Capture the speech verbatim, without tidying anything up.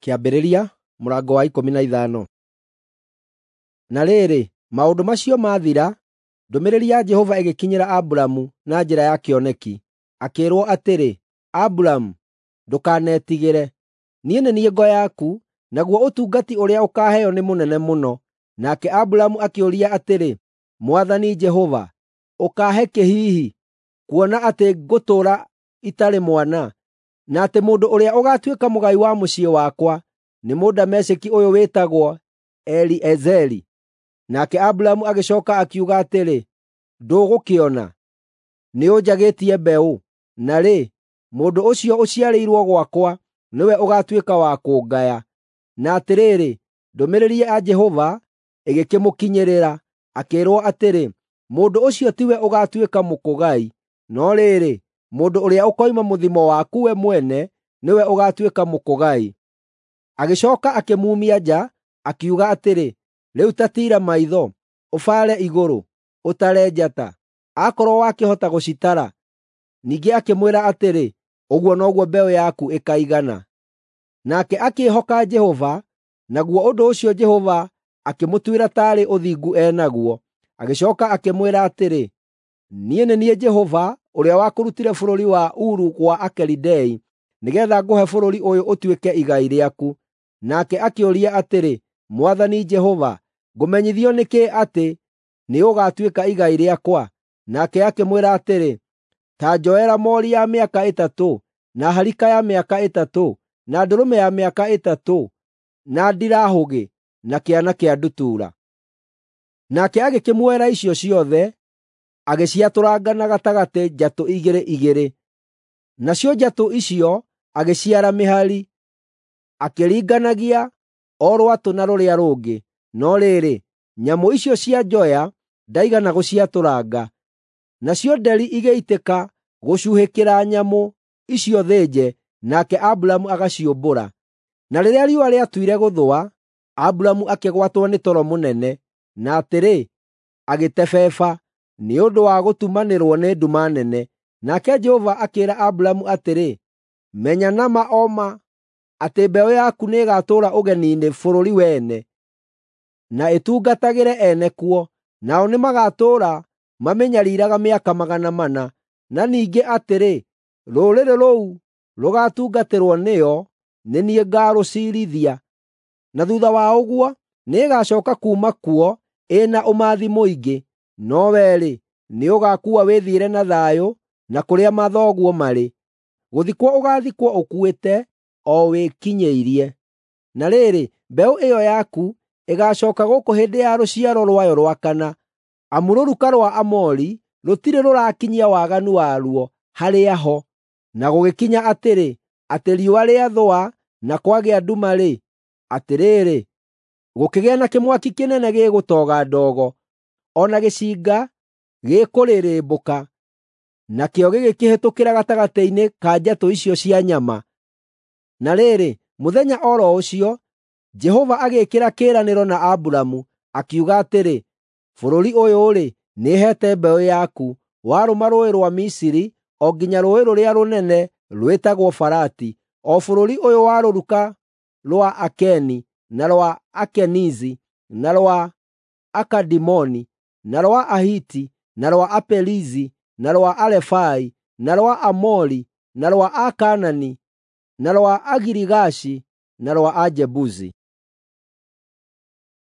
Kĩambĩrĩria mũrango wa ikũmi na ithano. Na rĩrĩ, maũndũ macio maathira, ndũmĩrĩri ya Jehova ĩgĩkinyĩra Aburamu na njĩra ya kĩoneki, akĩĩrwo atĩrĩ, “Aburamu, ndũkanetigĩre. Niĩ nĩ niĩ ngo yaku, naguo ũtungati ũrĩa ũkaaheo nĩ mũnene mũno.” Nake Aburamu akĩũria atĩrĩ, “Mwathani Jehova, ũkaahe kĩ hihi, kuona atĩ ngũtũũra itarĩ mwana, na atĩ mũndũ ũrĩa ũgaatuĩka mũgai wa mũciĩ wakwa nĩ Mũdamesheki ũyũ wĩtagwo Eliezeri?” Nake Aburamu agĩcooka akiuga atĩrĩ, “Ndũgũkĩona, nĩũnjagĩtie mbeũ, na rĩ, mũndũ ũcio ũciarĩirwo gwakwa nĩwe ũgaatuĩka wa kũngaya.” Na atĩrĩrĩ, ndũmĩrĩri ya Jehova ĩgĩkĩmũkinyĩrĩra, akĩĩrwo atĩrĩ, “Mũndũ ũcio tiwe ũgaatuĩka mũkũgai, no rĩrĩ, mũndũ ũrĩa ũkoima mũthimo waku we mwene nĩwe ũgaatuĩka mũkũgai.” Agĩcooka akĩmuumia nja, akiuga atĩrĩ, “Rĩu ta tiira maitho, ũbaare igũrũ, ũtare njata, akorwo wakĩhota gũcitara.” Ningĩ akĩmwĩra atĩrĩ, “Ũguo noguo mbeũ yaku ĩkaigana.” Nake akĩĩhoka Jehova, naguo ũndũ ũcio Jehova akĩmũtuĩra taarĩ ũthingu e naguo. Agĩcooka akĩmwĩra atĩrĩ, “Niĩ nĩ niĩ Jehova ũrĩa wakũrutire bũrũri wa Uru gwa Akalidei nĩgeetha ngũhe bũrũri ũyũ ũtuĩke igai rĩaku.” Nake akĩũria atĩrĩ, “Mwathani Jehova, ngũmenyithio nĩ kĩĩ atĩ nĩũgatuĩka igai rĩakwa?” Nake akĩmwĩra atĩrĩ, “Ta njoera moori ya mĩaka ĩtatũ, na harika ya mĩaka ĩtatũ, na ndũrũme ya mĩaka ĩtatũ, na ndirahũgĩ, na kĩana kĩa ndutura.” Nake agĩkĩmuoera icio ciothe, agĩciatũranga na gatagatĩ njatũ igĩrĩ igĩrĩ. Nacio njatũ icio agĩciara mĩhari, akĩringanagia o rwatũ na rũrĩa rũngĩ. No rĩrĩ, nyamũ icio cia njoya ndaigana gũciatũranga. Nacio nderi igĩitĩka gũcuhĩkĩra nyamũ icio thĩnje, nake Aburamu agaciũmbũra. Na rĩrĩa riũa rĩatuire gũthũa, Aburamu akĩgwatwo nĩ toro mũnene, na atĩrĩ, agĩtebeba nĩ ũndũ wa gũtumanĩrwo nĩ nduma nene. Nake Jehova akĩĩra Aburamu atĩrĩ, “Menya na ma o ma atĩ mbeũ yaku nĩĩgatũũra ũgeni-inĩ bũrũri wene, na ĩtungatagĩre ene kuo, nao nĩmagatũũra mamĩnyariiraga mĩaka magana mana. Na ningĩ atĩrĩ, rũrĩrĩ rũu rũgaatungatĩrwo nĩo nĩ niĩ ngaarũciirithia. Na thuutha wa ũguo nĩĩgacooka kuuma kuo ĩna ũmathi mũingĩ. No wee-rĩ, nĩũgaakua wĩthiĩre na thayũ na kũrĩa mathoguo marĩ. Gũthikwo ũgaathikwo ũkuĩte o wĩkinyĩirie. Na rĩrĩ, mbeũ ĩyo yaku ĩgaacooka gũkũ hĩndĩ ya rũciaro rwayo rwa kana, amu rũruka rwa Amori rũtirĩ rũrakinyia waganu waruo harĩa ho.” Na gũgĩkinya atĩrĩ, atĩ riũa rĩathũa na kwagĩa nduma-rĩ, atĩrĩrĩ, gũkĩgĩa na kĩmwaki kĩnene gĩgũtoga ndogo, o na gĩcinga gĩkũrĩrĩmbũka, nakĩo gĩgĩkĩhĩtũkĩra gatagatĩ-inĩ ka njatũ icio cia nyama. Na rĩrĩ, mũthenya o ro ũcio, Jehova agĩĩkĩra kĩĩranĩro na Aburamu, akiuga atĩrĩ, “Bũrũri ũyũ-rĩ, nĩheete mbeũ yaku, warũma rũũĩ rwa Misiri o nginya rũũĩ rũrĩa rũnene rwĩtagwo Farati, o bũrũri ũyũ wa rũruka rwa Akeni, na rwa Akenizi, na rwa Akadimoni, na rwa Ahiti, na rwa Aperizi, na rwa Arefai, na rwa Amori, na rwa Akaanani, na rwa Agirigashi, na rwa Ajebusi.”